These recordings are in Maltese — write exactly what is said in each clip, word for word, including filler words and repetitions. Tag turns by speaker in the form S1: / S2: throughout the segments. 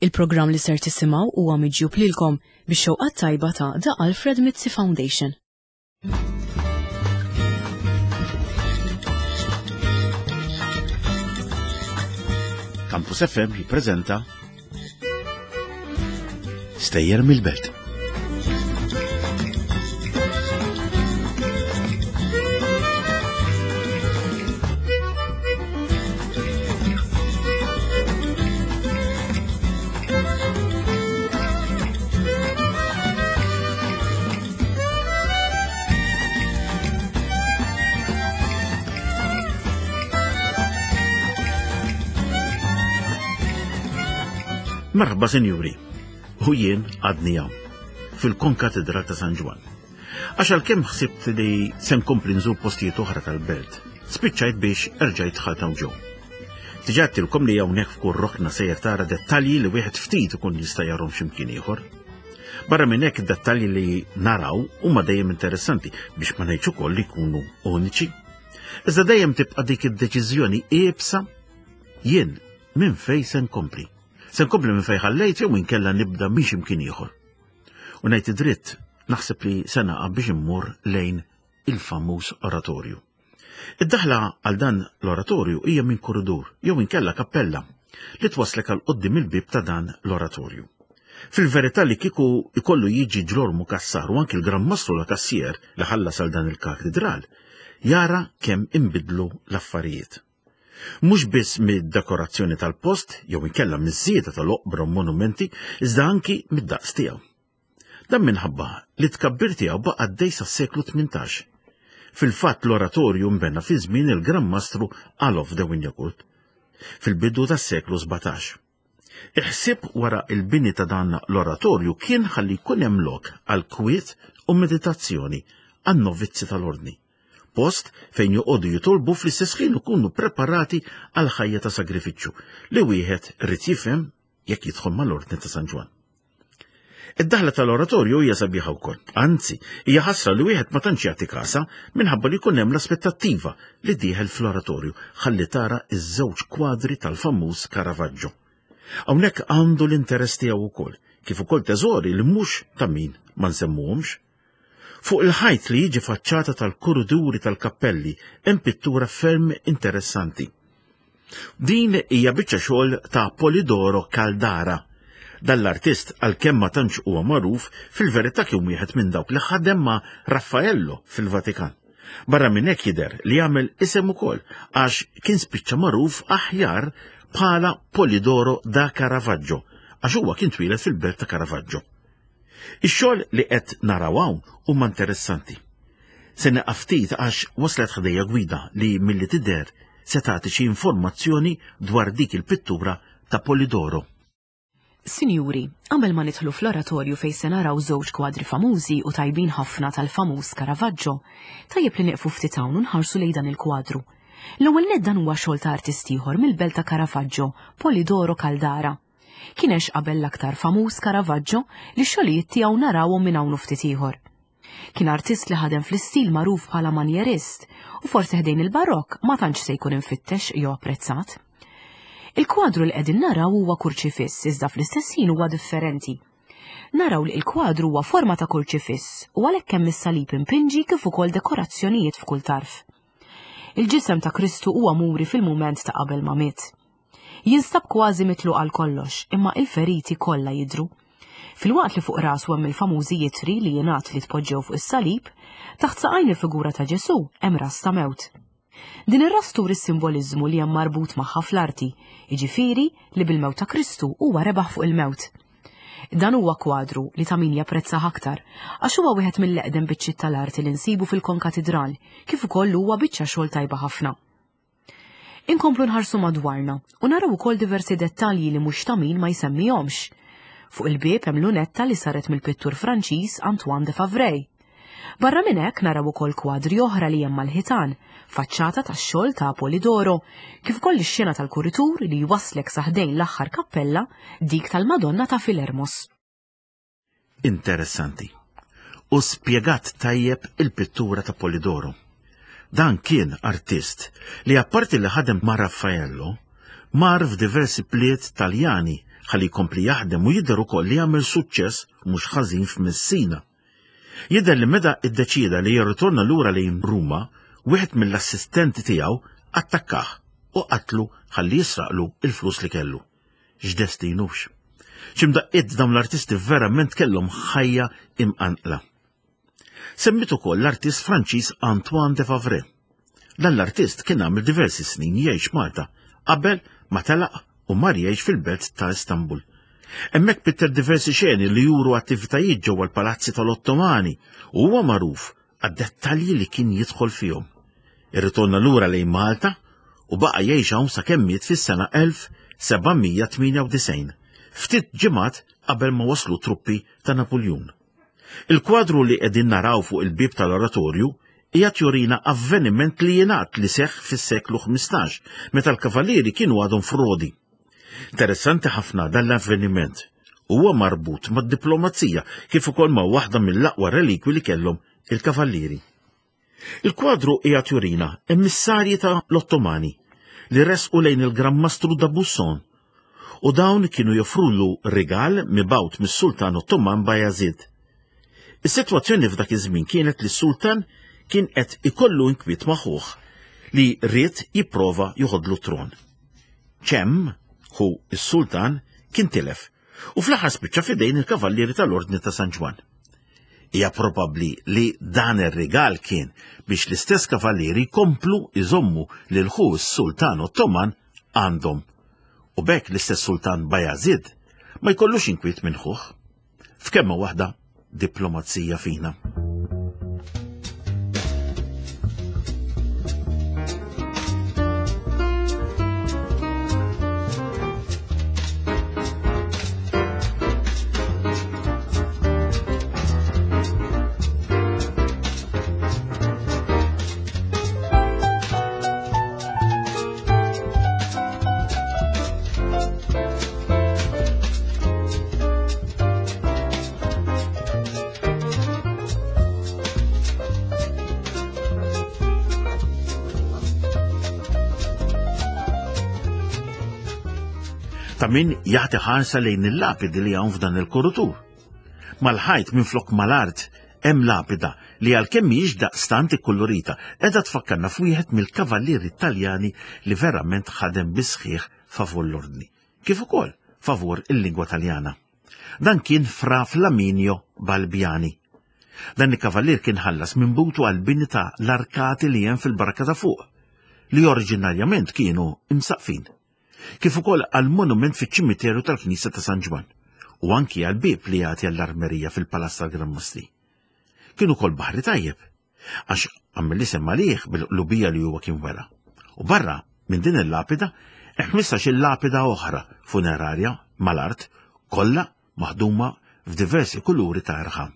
S1: Il-programm li ser tisimgħu huwa miġjub lilkom bix-xewqat tajba ta' The Alfred Mizzi Foundation.
S2: Campus F M jippreżenta Stejjer mill-Belt. Merħba, sinjuri, u jien għadni hawn, fil-Konkatedral ta' San Ġwann. Għax għalkemm ħsibt li se nkompli nżur postijiet oħra tal-belt, spiċċajt biex erġajt dħalt hawn ġew. Diġà għedtilkom li hawnhekk f'kull rokna sejjer tara dettalji li wieħed ftit ikun jista' jarhom x'imkien ieħor. Barra minn hekk, id-dettalji li naraw huma dejjem interessanti, biex ma ngħidx ukoll li jkunu uniċi. Iżda dejjem tibqa' dik id-deċiżjoni iebsa: jien minn fejn se nkompli? Se nkompli minn fejn ħallejt jew inkella nibda biex imkien ieħor? U ngħid id-dritt, naħseb li se naqa' biex immur lejn il-famuż oratorju. Id-daħla għal dan l-oratorju hija minn korridur jew inkella kappella li twaslek għal quddiem il-bib ta' dan l-oratorju. Fil-verità, li kieku ikollu jiġi Ġlormu Kassar u anki l-Gran Mastru La Kassier li ħallas għal dan il-katedral, jara kemm imbidlu l-affarijiet. Mhux biss mid-dekorazzjoni tal-post jew inkella miż-żieda tal-oqbra u monumenti, iżda anki mid-daqs tiegħu. Dan minħabba li tkabbir tiegħu baqa' għaddej sas-seklu tmintax. Fil-fatt, l-oratorju nbena fi żmien il-Gran Mastru Alof de Wignacourt fil-bidu tas-seklu sbatax. Il-ħsieb wara il-bini ta' dan l-oratorju kien ħalli jkun hemm lok għal kwiet u meditazzjoni għan-novizzi tal-ordni. Post fejn joqogħdu jitolbu, fl-istess ħin ikunu preparati għal ħajja ta' sagrifiċċju li wieħed irid jifhem jekk jidħol mal-ordni ta' San Ġwann. Id-daħla tal-oratorju hija sabiħa wkoll. Anzi, hija ħasra li wieħed ma tantx jagħti kasa minħabba li jkun hemm l-aspettattiva li dieħel fl-oratorju ħalli tara iż-żewġ kwadri tal-famuż Caravaggio. Hawnhekk għandu l-interess tiegħu wkoll, kif ukoll teżori li mhux ta' min ma nsemmuhomx. Fuq il-ħajt li jiġi faċċata tal-kuruduri tal-kappelli hemm pittura ferm interessanti. Din hija biċċa xogħol ta' Polidoro Caldara. Dan l-artist, għalkemm ma tantx huwa magħruf, fil-verità kien wieħed minn dawk li ħadem ma' Raffaello fil-Vatikan. Barra minn hekk, jidher li jagħmel isem ukoll għax kien spiċċa magħruf aħjar bħala Polidoro da Caravaggio, għax huwa kien twieled fil-belt ta' Caravaggio. Ix-xogħol li qed naraw hawn huma interessanti. Se nieqaf ftit għax waslet ħdejja gwida li milli tidher se tagħti xi informazzjoni dwar dik il-pittura ta' Polidoro.
S1: Sinjuri, qabel ma nidħlu fl-oratorju fejn se naraw żewġ kwadri famużi u tajbin ħafna tal-famuż Caravaggio, tajjeb li nieqfu ftit hawn u nħarsu lejn dan il-kwadru. L-ewwel nett, dan huwa xogħol ta' artist ieħor mill-belt ta' Caravaggio, Polidoro Caldara. Kien għex qabel l-aktar famuż Caravaggio, li xogħlijiet tiegħu narawhom minn hawn ftit ieħor. Kien artist li ħadem fl-istil magħruf bħala manjerist u forsi ħdejn il-barokk ma tantx se jkun infittex jew apprezzat. Il-kwadru li qegħdin naraw huwa kurċifiss, iżda fl-istess ħin huwa differenti. Naraw li il-kwadru huwa forma ta' kurċifiss u għalhekk hemm is-salib impinġi kif ukoll dekorazzjonijiet f'kull tarf. Il-ġisem ta' Kristu huwa muri fil-mument ta' qabel ma miet. Jinstab kważi mitlu għal kollox, imma il-feriti kollha jidru. Filwaqt li fuq rasu hemm il-famużi itri li jingħad li tpoġġew fuq is-salib, taħt saqajn il-figura ta' Ġesu hemm ras ta' mewt. Din ir-ras turi s-simboliżmu li hemm marbut magħha fl-arti, jiġifieri li bil-mewt ta' Kristu huwa rebaħ fuq il-mewt. Dan huwa kwadru li ta' min japprezzah aktar, għax huwa wieħed mill-eqdem biċċiet tal-arti li nsibu fil-konkatedral, kif ukoll huwa biċċa xogħol tajba ħafna. Inkomplu nħarsu madwarna u naraw ukoll diversi dettalji li mhux ta' min ma jsemmihomx. Fuq il-bieb hemm lunetta li saret mill-pittur Franċiż Antoine de Favray. Barra minn hekk, naraw ukoll kwadri oħra li hemm mal-ħitan, faċċata tax-xogħol ta' Polidoro, kif ukoll ix-xena tal-kuritur li jwaslek sa ħdejn l-aħħar kappella, dik tal-Madonna ta' Filermos.
S2: Interessanti. U spjegat tajjeb il-pittura ta' Polidoro. Dan kien artist li, apparti li ħadem ma' Raffaello, mar f'diversi bliet Taljani. ħalli jkompli jaħdem u jidher ukoll li għamel suċċess mhux ħażin f'Messina. Jidher li meta iddeċieda li jirritorna lura lejn Ruma, wieħed mill-assistenti tiegħu attakkah u qatlu ħalli jisraqlu il-flus li kellu. X'destinux. X'imdaqqiet dawn l-artisti verament kellhom ħajja imqanqla. Semmit ukoll l-artist Franċiż Antoine de Favre. Dan l-artist kien għamel diversi snin jgħix Malta qabel ma telaq u mar jgħix fil-belt ta' Istanbul. Hemmhekk pitter diversi xeni li juru attivitajiet ġewwa l-palazzi tal-Ottomani u huwa magħruf għad-dettalji li kien jidħol fihom. Irritorna lura lejn Malta u baqa' jgħix hawn sakemm miet fis-sena elf seba' mija tmienja u disgħin, ftit ġimgħat qabel ma waslu truppi ta' Napuljun. Il-kwadru li qegħdin naraw fuq il-bieb tal-oratorju qiegħed jurina avveniment li jingħad li seħħ fis-seklu ħmistax, meta l-kavallieri kienu għadhom frodi. Interessanti ħafna dan l-avveniment. Huwa marbut mad-diplomazija kif ukoll ma' waħda mill-aqwa relikwi li kellhom il-kavallieri. Il-kwadru qiegħed jurina emissarji ta' l-Ottomani li resqu lejn il-Gran Mastru da Busson u dawn kienu joffrulu rigal mibgħut mis-Sultan Ottoman Bajazid. Is-sitwazzjoni f'dak iż-żmien kienet li s-Sultan kien qed ikollu inkwiet ma' ħuh li ried jipprova joħodlu tron. Ċem, hu s-Sultan, kien tilef u fl-aħħar spiċċa f'idejn il-Kavallieri tal-Ordni ta' San Ġwann. Hija probabbli li dan ir-rigal kien biex l-istess kavallieri jkomplu iżommu lil ħu s-Sultan Ottoman għandhom. U b'hekk l-istess Sultan Bajazid ma jkollux inkwiet minn ħuh. F'kemma waħda diplomazija fina. Ta' min jagħti ħarsa lejn il-lapidi li hawn f'dan il-kurutur. Mal-ħajt minflok mal-art hemm lapida li għalkemm mhijiex daqstant ikkulurita, qiegħda tfakkarna f'wieħed mill-kavallieri Taljani li verament ħadem bisħieħ favur l-ordni, kif ukoll favur il-lingwa Taljana. Dan kien Fra Flaminio Balbiani. Dan il-kavallier kien ħallas minn butu għall-bini ta' l-arkati li hemm fil-barka ta' fuq, li oriġinarjament kienu imsaqfin, kif ukoll għall-monument fiċ-ċimiterju tal-Knisja ta' San Ġwann u anki għall-bieb li jagħti għall-armerija fil-Palazz tal-Gran Mastri. Kien ukoll baħri tajjeb, għax għamel l-isem għalih bil-qlubija li huwa kien wera. U barra minn din il-lapida hemm ħmistax-il lapida oħra funerarja mal-art, kollha maħduma f'diversi kuluri ta' irħam.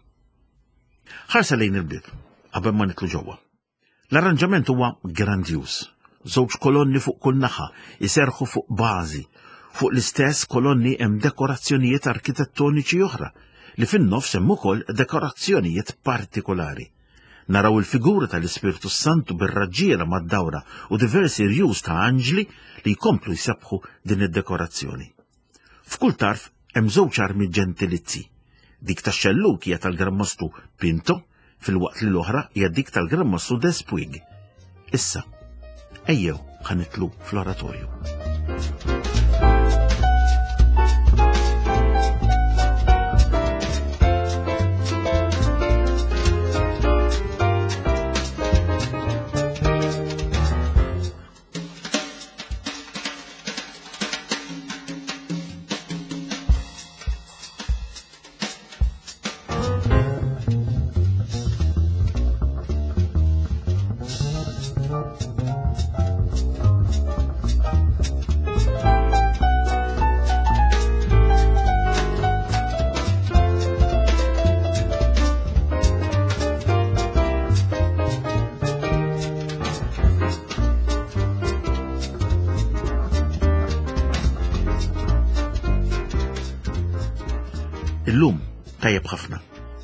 S2: Ħarsa lejn il-bieb qabel ma nitlu ġewwa. L-arranġament huwa grandjuż. Żewġ kolonni fuq kull naħa iserħu fuq bażi. Fuq l-istess kolonni hemm dekorazzjonijiet arkitettoniċi oħra li fin-nofs hemm ukoll dekorazzjonijiet partikolari. Naraw il-figura tal-Ispirtu Santu bir-raġġiera mad-dawra u diversi rjus ta' anġli li jkomplu jsebħu din id-dekorazzjoni. F'kull tarf hemm żewġ armi ġentilizzi. Dik tax-xelluk hija tal-Gran Mastru Pinto, filwaqt li l-oħra hija dik tal-Gran Mastru Despuig. Issa, ejjew ħanitlu fl-oratorju. Illum tajjeb ħafna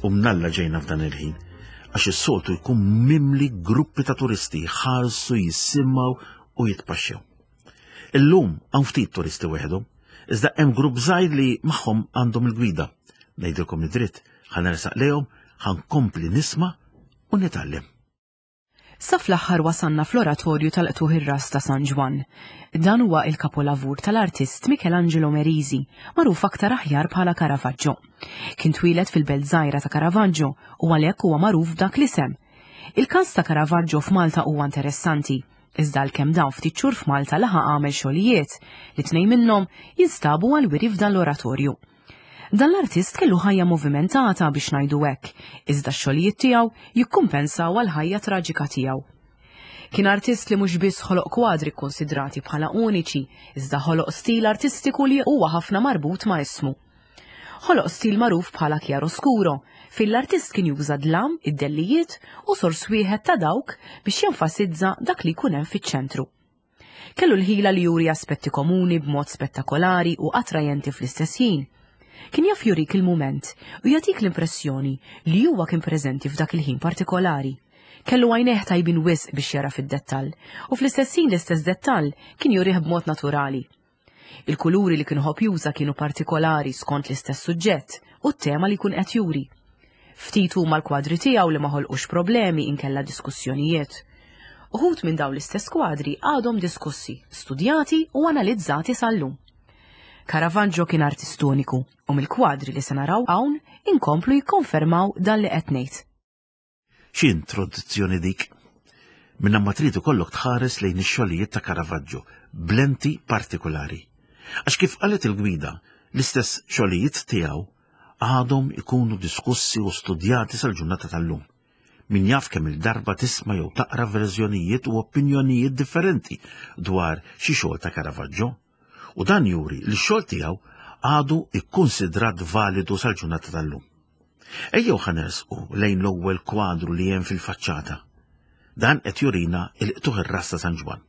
S2: u mnalla ġejna f'dan il-ħin għax is-soltu jkun mimli gruppi ta' turisti jħarsu, jisimgħu u jitpaxxew. Illum hawn ftit turisti weħedhom, Iżda hemm grupp żgħir li magħhom għandhom il-gwida. Ngħidilkom id-dritt, ħa nersaq lejhom, ħa nkompli nisma' u nitgħallem.
S1: Sa fl-aħħar wasanna fl-oratorju tal-qtugħ ir-ras ta' San Ġwann. Dan huwa il-kapolavur tal-artist Michelangelo Merisi, magħruf aktar aħjar bħala Caravaggio. Kien twieled fil-belt żgħira ta' Caravaggio u għalhekk huwa magħruf b'dak l-isem. Il-każ ta' Caravaggio f'Malta huwa interessanti, iżda għalkemm dam ftit xhur f'Malta laħaq għamel xogħlijiet li tnejn minnhom jinstabu għal-wiri f'dan l-oratorju. Dan l-artist kellu ħajja movimentata biex ngħidu hekk, iżda x-xogħlijiet tiegħu jikkumpensaw għal ħajja traġika tiegħu. Kien artist li mhux biss ħoloq kwadri kkonsidrati bħala uniċi, iżda ħoloq stil artistiku li huwa ħafna marbut ma' ismu. Ħoloq stil magħruf bħala chiaroscuro, fejn l-artist kien juża dlam, id-dellijiet u sors wieħed ta' dawk biex jenfasizza dak li jkun hemm fiċ-ċentru. Kellu l-ħila li juri aspetti komuni b'mod spettakolari u attrajenti fl-istess ħin. Kien jaf jurik il-mument u jagħtik l-impressjoni li huwa kien preżenti f'dak il-ħin partikolari. Kellu għajnejh tajbin wisq biex jara fid-dettall u fl-istess ħin l-istess dettall kien jurih b'mod naturali. Il-kuluri li kien iħobb juża kienu partikolari skont l-istess suġġett u t-tema li jkun qed juri. Ftit huma l-kwadri tiegħu li ma ħolqux problemi inkella diskussjonijiet. Uħud minn dawn l-istess kwadri għadhom diskussi, studjati u analizzati sal-lum. Caravaggio kien artist uniku u mill-kwadri li se naraw hawn inkomplu jikkonfermaw dan li qed ngħid.
S2: Xi introduzzjoni dik? Minna ma trid ikollok tħares lejn ix-xogħlijiet ta' Caravaggio b'lenti partikolari. Għax kif qalet il-gwida, l-istess xogħlijiet tiegħu għadhom ikunu diskussi u studjati sal-ġurnata tal-lum. Min jaf kemm il-darba tisma' jew taqra verżjonijiet u opinjonijiet differenti dwar xi xogħol ta' Caravaggio. U dan juri li x-xogħol tiegħu għadu ikkonsidrat validu sal-ġurnata tal-lum. Ejjew ħa nersqu lejn l-ewwel kwadru li hemm fil-faċċata. Dan qed jurina il-qtugħ ir-ras ta' San Ġwann.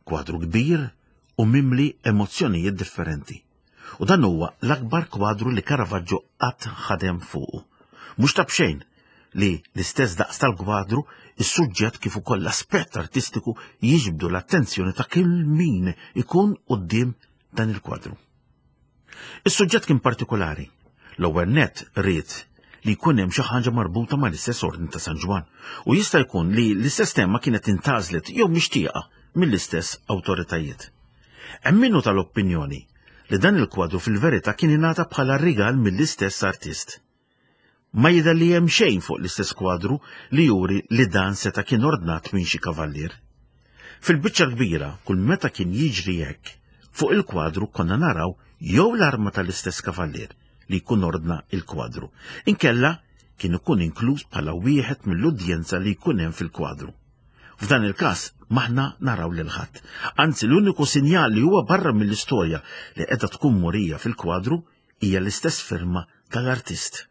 S2: Kwadru kbir u mimli emozzjonijiet differenti. U dan huwa l-akbar kwadru li Caravaggio qatt ħadem fuqu. Mhux ta' b'xejn li l-istess daqs tal-kwadru, is-suġġett kif ukoll l-aspett artistiku jiġbdu l-attenzjoni ta' kull min ikun quddiem dan il-kwadru. Is-suġġett kien partikolari. L-ewwel nett ried li jkun hemm xi ħaġa marbuta mal-istess ordni ta' San Ġwann u jista' jkun li l-istess tema kienet intgħażlet jew mixtieqa mill-istess awtoritajiet. Hemm minnu tal-opinjoni li dan il-kwadru fil-verità kien ingħata bħala rigal mill-istess artist. Ma jidher li hemm xejn fuq l-istess kwadru li juri li dan seta' kien ordnat minn xi kavallier. Fil-biċċa kbira, kull meta kien jiġri hekk, fuq il-kwadru konna naraw jew l-arma tal-istess kavallier li jkun ordna il-kwadru. Inkella kien ikun inkluż bħala wieħed mill-udjenza li jkun hemm fil-kwadru. F'dan il-każ maħna naraw lil ħadd. Anzi, l-uniku sinjal li huwa barra mill-istorja li qiegħda tkun murija fil-kwadru hija l-istess firma tal-artist.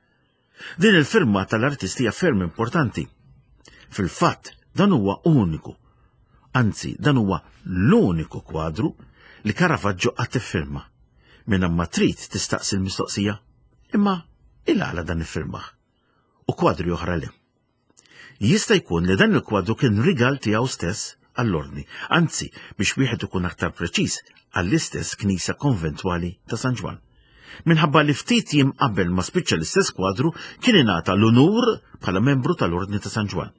S2: Din il-firma tal-artist hija ferm importanti. Fil-fatt, dan huwa uniku. Anzi, dan huwa l-uniku kwadru li Caravaggio qatt iffirma. Minn ma trid tistaqsi l-mistoqsija, imma il-għala dan iffirmah. U kwadri oħra le. Jista' jkun li dan il-kwadru kien rigal tiegħu stess għall-ordni, anzi biex wieħed ikun aktar preċiż għall-istess knisja konventwali ta' San Ġwann. Minħabba li ftit jiem qabel ma spiċċa l-istess kwadru kien ingħata l-unur bħala membru tal-Ordni ta' San Ġwann.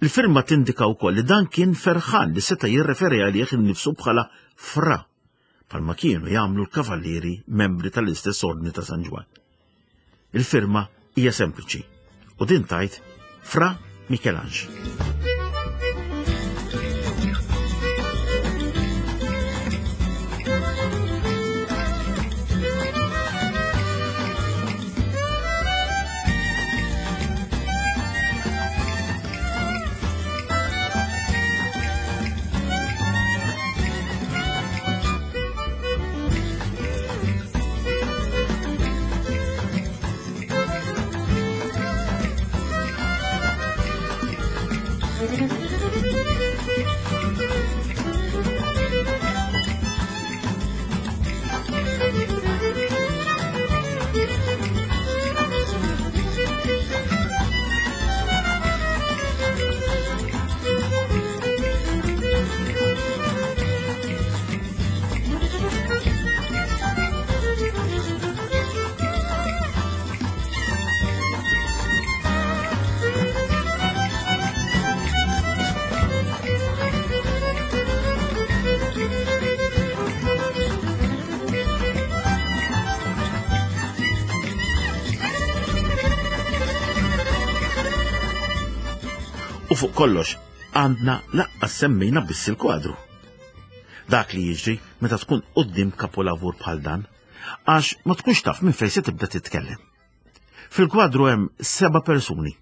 S2: Il-firma tindika wkoll li dan kien ferħan li seta' jirreferi għalih innifsu bħala fra, bħalma kienu jagħmlu l-kavallieri membri tal-istess Ordni ta' San Ġwann. Il-firma hija sempliċi u din tajt Fra Michelange. U fuq kollox, għandna laqqas semmejna biss il-kwadru. Dak li jiġri meta tkun quddiem kapolavur bħal dan, għax ma tkunx taf minn fejn se tibda titkellem. Fil-kwadru hemm seba' persuni.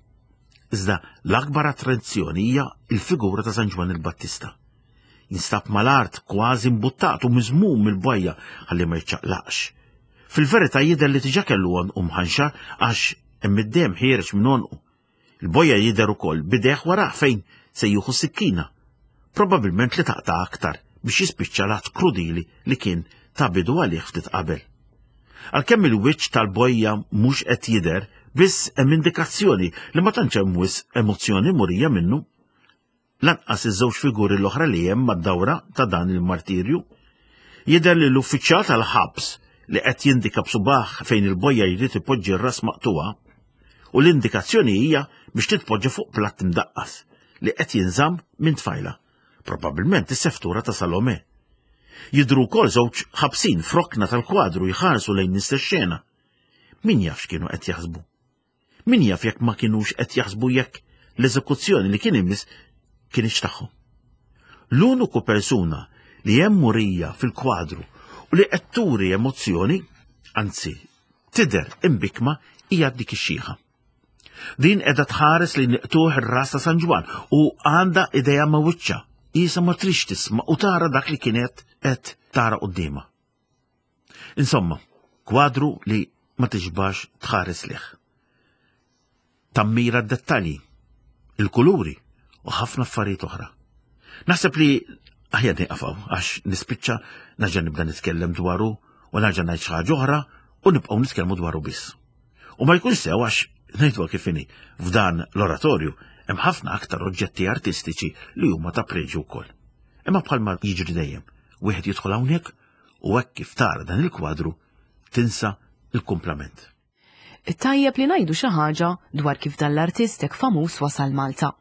S2: Iżda l-akbar attrazzjoni hija l-figura ta' San Ġwann il-Battista. Jinstab mal-art kważi mbuttat u miżmum mill-bajja ħalli ma jiċċaqlaqx. Fil-verità jidher li diġà kellu għonqu mħanxar għax hemm id-demm ħiereġ minn għonqu. Il-bojja jidher ukoll bideh warah fejn se jieħu sikkina, probabbilment li taqta' aktar biex jispiċċa l-att krudili li kien ta' bidu għalih ftit qabel. Għalkemm il-wiċċ tal-bojja mhux qed jidher, biss hemm indikazzjoni li ma tantx hemm wisq emozzjoni murija minnu. Lanqas iż-żewġ figuri l-oħra li hemm mad-dawra ta' dan il-martirju. Jidher li l-uffiċjal tal-ħabs li qed jindika b'subaħ fejn il-bojja jrid ipoġġi r-ras maqtugħa, u l-indikazzjoni hija biex titpoġġa fuq platt imdaqqas li qed jinżamm minn tfajla, probabbilment is-seftura ta' Salome. Jidhru wkoll żewġ ħabsin f'rokna tal-kwadru jħarsu lejn l-istess xena. Min jaf x'kienu qed jaħsbu? Min jaf jekk ma kinux qed jaħsbu jekk l-eżekuzzjoni li kien imiss kienx tagħhom. L-uniku persuna li hemm murija fil-kwadru u li qed turi emozzjoni, anzi tidher imbikma, hija dik ix-xieħa. Din qiegħda tħares li niqtuħ ir-ras ta' San Ġwann u għandha idea ma' wiċċha, qisha ma tridx tisma' u tara dak li kienet qed tara quddiemha. Insomma, kwadru li ma tixbax tħares lih. Tammira d-dettalji, il-kuluri u ħafna affarijiet oħra. Naħseb li aħjar nieqafaw għax nispiċċa nerġa' nibda nitkellem dwaru u nerġa' ngħid xi ħaġa oħra u nibqgħu nitkellmu dwaru biss. U ma jkunx sew għax ngħidu kif inhi, f'dan l-oratorju hemm ħafna aktar oġġetti artistiċi li huma ta' preġju wkoll. Imma bħalma jiġri dejjem, wieħed jidħol hawnhekk u hekk kif tara dan il-kwadru tinsa il-kumplament.
S1: Tajjeb li ngħidu xi ħaġa dwar kif dan l-artist hekk famuż wasal Malta.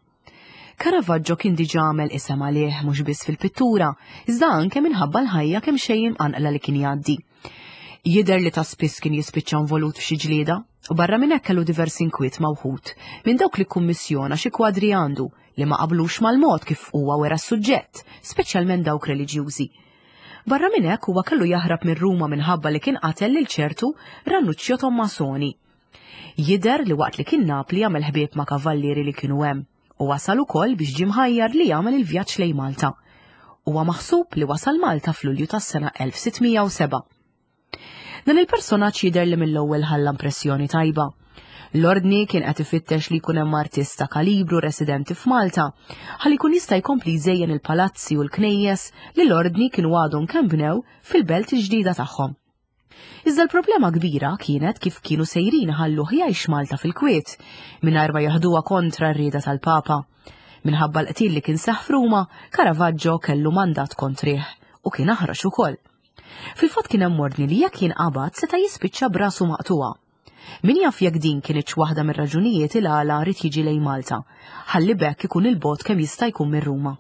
S1: Caravaggio kien diġà għamel isem għalih mhux biss fil-pittura, iżda anke minħabba l-ħajja kemm xejn imqanqla li kien jgħaddi. Jidher li ta' spiss kien jispiċċa involut f'xi ġlieda, u barra minn hekk kellu diversi inkwiet ma' wħud minn dawk li kkummissjona xi kwadri għandu li ma qablux mal-mod kif huwa wera s-suġġett, speċjalment dawk reliġjużi. Barra minn hekk huwa kellu jaħrab minn Ruma minħabba li kien qatel lil ċertu Ranuccio Tommasoni. Jidher li waqt li kien Napli għamel ħbieb ma' kavallieri li kienu hemm u wasal ukoll biex ġie mħajjar li jagħmel il-vjaġġ lejn Malta. Huwa maħsub li wasal Malta f'Lulju tas-sena elf sitt mija u sebgħa. Dan il-personaġġ jidher li mill-ewwel ħalla impressjoni tajba. L-ordni kien qed ifittex li jkun hemm artist ta' kalibru residenti f'Malta, ħalli jkun jista' jkompli jżejjen il-palazzi u l-knejjes li l-ordni kienu għadhom kemm bnew fil-belt il-ġdida tagħhom. Iżda l-problema kbira kienet kif kienu sejrin ħalluh jgħix Malta fil-kwiet, mingħajr ma jaħduha kontra r-rieda tal-Papa. Minħabba l-qtil li kien seħħ f'Ruma, Caravaggio kellu mandat kontrih u kien aħrax ukoll. Fil-fatt kien hemm ordni li jekk jinqabad seta' jispiċċa brasu maqtuha. Min jaf jekk din kienitx waħda mir-raġunijiet il għala rid jiġi lejn Malta, ħalli b'hekk ikun il-bogħod kemm jista' jkun minn Ruma.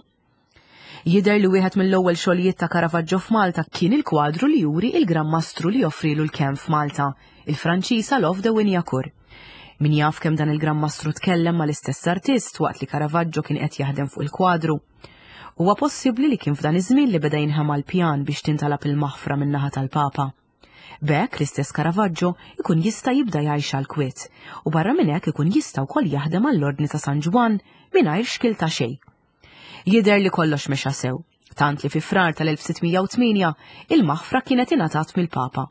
S1: Jidher li wieħed mill-ewwel xogħlijiet ta' Caravaggio f'Malta kien il-kwadru li juri il-Gran Mastru li joffrilu l-kenn f'Malta, il-Franċiż Alof de Wignacourt. Min jaf kemm dan il-Gran Mastru tkellem mal-istess artist waqt li Caravaggio kien qed jaħdem fuq il-kwadru. Huwa possibbli li kien f'dan iż-żmien li beda jinħema l-pjan biex tintalab il-maħfra min-naħa tal-Papa. B'hekk l-istess Caravaggio ikun jista' jibda jgħix għal kwiet u barra minn hekk ikun jista' wkoll jaħdem għall-Ordni ta' San Ġwann mingħajr xkil ta' xejn. Jidher li kollox mexa sew, tant li fi Frar tal-elf sitt mija u tmienja il-maħfra kienet ingħatat mill-Papa.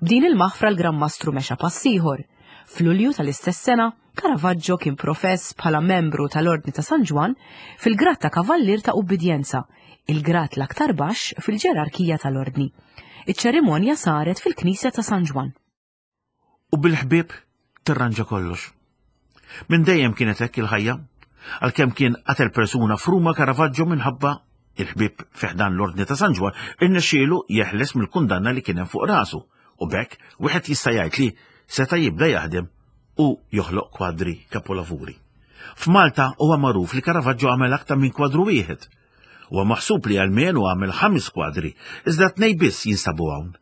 S1: B'din il-maħfra l-Gran Mastru mexa pass ieħor. F'Lulju tal-istess sena, Caravaggio kien profess bħala membru tal-Ordni ta' San Ġwann fil-grad ta' Kavallier ta' Ubbidjenza, il-grad l-aktar baxx fil-ġerarkija tal-Ordni. Iċ-ċerimonja saret fil-Knisja ta' San Ġwann.
S2: U bil-ħbieb tirranġa kollox. Minn dejjem kienet hekk il-ħajja, għalkemm kien qatel persuna f'Ruma Caravaggio minħabba il-ħbieb fi ħdan l-Ordni ta' San Ġwann irnexxielu jeħles mill-kundanna li kien hemm fuq rasu u b'hekk wieħed jista' jgħid li seta' jibda jaħdem u joħloq kwadri kapolavuri. F'Malta huwa magħruf li Caravaggio għamel aktar minn kwadru wieħed. Huwa maħsub li almenu għamel ħames kwadri, iżda tnej biss jinsabu hawn.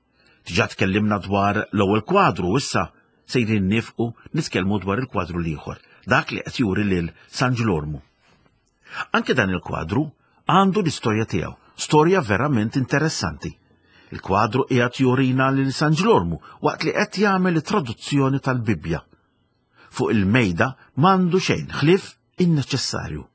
S2: Diġà tkellimna dwar l-ewwel kwadru u issa sejrin nifqu nitkellmu dwar il-kwadru l-ieħor, dak li qed juri lil San Ġlormu. Anke dan il-kwadru għandu l-istorja tiegħu, storja verament interessanti. Il-kwadru qiegħed jurina lil San Ġlormu waqt li qed jagħmel it-traduzzjoni tal-Bibbja. Fuq il-mejda m'għandu xejn ħlief in-neċessarju.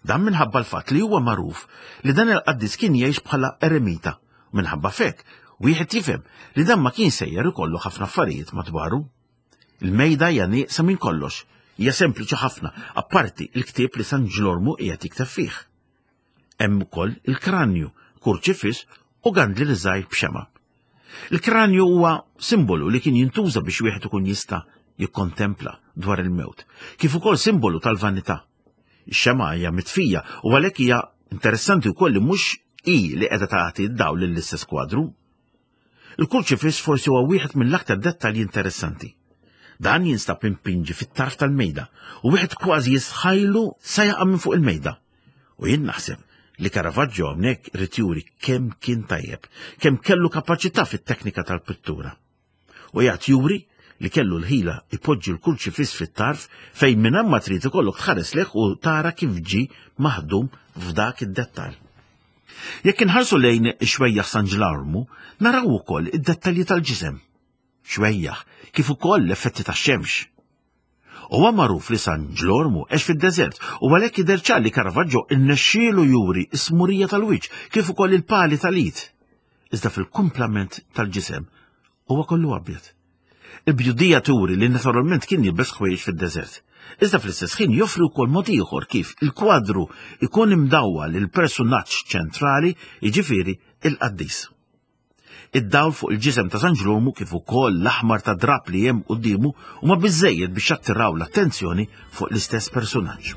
S2: Dan minħabba l-fatt li huwa magħruf li dan il-qaddis kien jgħix bħala eremita. Minħabba fek, wieħed jifhem li dan ma kien sejjer ikollu ħafna affarijiet madwaru. Il-mejda hija nieqsa minn kollox, hija sempliċi ħafna, apparti il-ktieb li San Ġlormu qiegħed jikteb fih. Hemm ukoll il-kranju, kurċifiss u gandli li żgħir b'xema. Il-kranju huwa simbolu li kien jintuża biex wieħed ikun jista' jikkontempla dwar il-mewt, kif ukoll simbolu tal-vanità. Ix-xema hija mitfija u għalhekk hija interessanti wkoll li mhux hi li qiegħda tagħti d-dawl lill-istess kwadru. Il-kurċifiss forsi huwa wieħed mill-aktar dettalji interessanti. Dan jinstab impinġi fit-tarf tal-mejda u wieħed kważi jisħajlu sa jaqa' minn fuq il-mejda. U jien naħseb li Caravaggio hawnhekk irid juri kemm kien tajjeb, kemm kellu kapaċità fit-teknika tal-pittura. U jgħid juri li kellu l-ħila ipoġġi l-kurċifiss fit-tarf fejn minn hemm ma trid ikollok tħares lejh u tara kif ġie maħdum f'dak id-dettall. Jekk inħarsu lejn ix-xwejjaħ San Ġlormu, naraw ukoll id-dettalji tal-ġisem. Xwejjaħ, kif ukoll l-effetti tax-xemx. Huwa magħruf li San Ġlormu għex fid-deżert u għalhekk jidher ċar li Caravaggio innexxielu juri s-smurija tal-wiċċ kif ukoll il-pali tal-id. Iżda fil-kumplament tal-ġisem huwa kollu abjad. Il-bjudija turi li naturalment kien jilbes ħwejjeġ fid-deżert. Iżda fl-istess ħin joffri wkoll mod ieħor kif il-kwadru ikun imdawwal il-persunaġġ ċentrali, jiġifieri il-qaddis. Id-dawl fuq il-ġisem ta' San Ġlormu kif ukoll l-aħmar ta' drap li hemm quddiemu huma biżżejjed biex jattiraw l-attenzjoni fuq l-istess persunaġġ.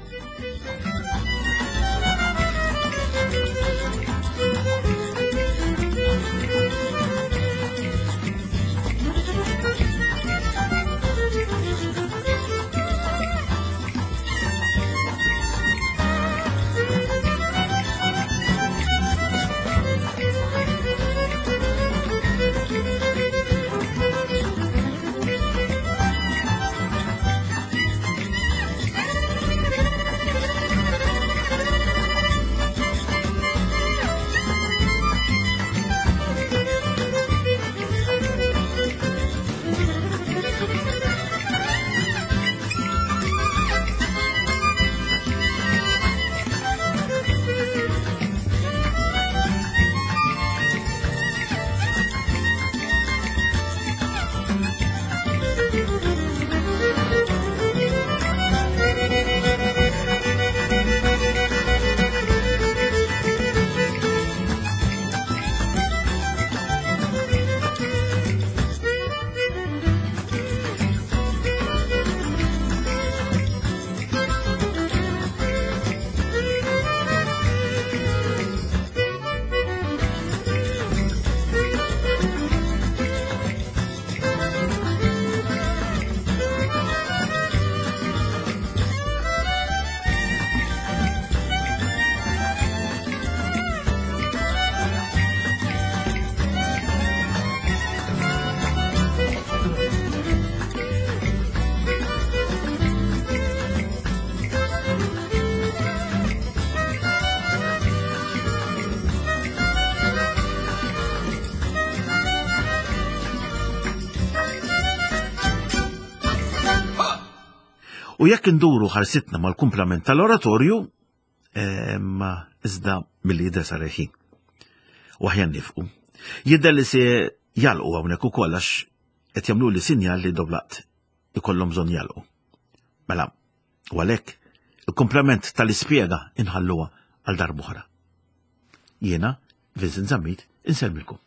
S2: U jekk induru ħarsitna mal-kumplament tal-oratorju, ma iżda milli jidher sar il-ħin. U aħjar nifqu. Jidher li se jalqu hawnhekk ukoll għax qed jagħmlu li sinjal li doblaqt ikollhom bżonn jalqu. Mela, u għalhekk il-kumplament tal-ispjega inħalluha għal darb'oħra. Jiena, Vincent Zammit, insellmilkom.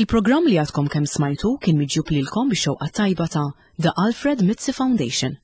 S1: Il-programm li għadkom kemm smajtu kien miġjub lilkom bix-xewqa tajba ta' The Alfred Mizzi Foundation.